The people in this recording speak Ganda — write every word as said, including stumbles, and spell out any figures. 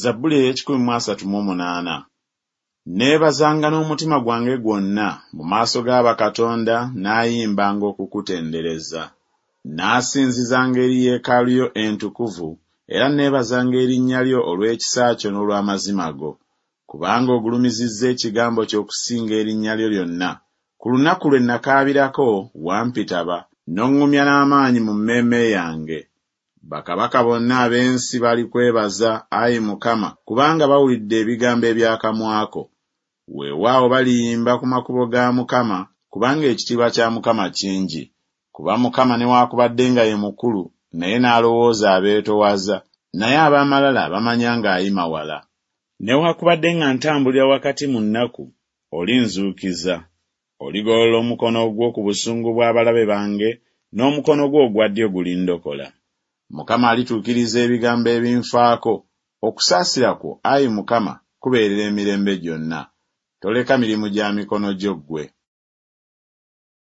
Zabbuli ey'ekikumi mu asatu mu munaana. Neebazanga n'omutima gwange gwonna mu maaso ga bakatonda naayimbanga okukutendereza. Naasinzizanga eri yeekaalu yo entukuvu era neebazanga erinnya lyo olw'ekisa kyo n'olw'amazima go. Kubanga ogulumizizza ekigambo kyo okusinga erinnya lyo lyonna. Ku lunaku lwe nakaabirako wampitaba, n'oŋŋumya n'amaanyi mu mmeeme yange. Bakabaka bonna ab'ensi balikwebaza, ayi Mukama, kubanga bawulidde ebigambo eby'akamwa ko. Weewaawo baliyimba ku makubo ga Mukama, kubanga ekitiibwa kya Mukama kingi. Kuba Mukama newaakubadde nga ye mukulu, naye n'alowooza abeetoowaza, naye ab'amalala bamanya ng'ayima wala. Newaakubadde nga ntambulira wakati mu nnaku, olinzuukiza. Oligolola omukono gwo ku busungu bw'abalabe bange, n'omukono gwo ogwa ddyo gulindokola. Mukama alituukiriza ebigambo ebinfaako. Okusaasira kwo, ayi Mukama, kubeerera emirembe gyonna. Toleka mirimu gya mikono gyo ggwe.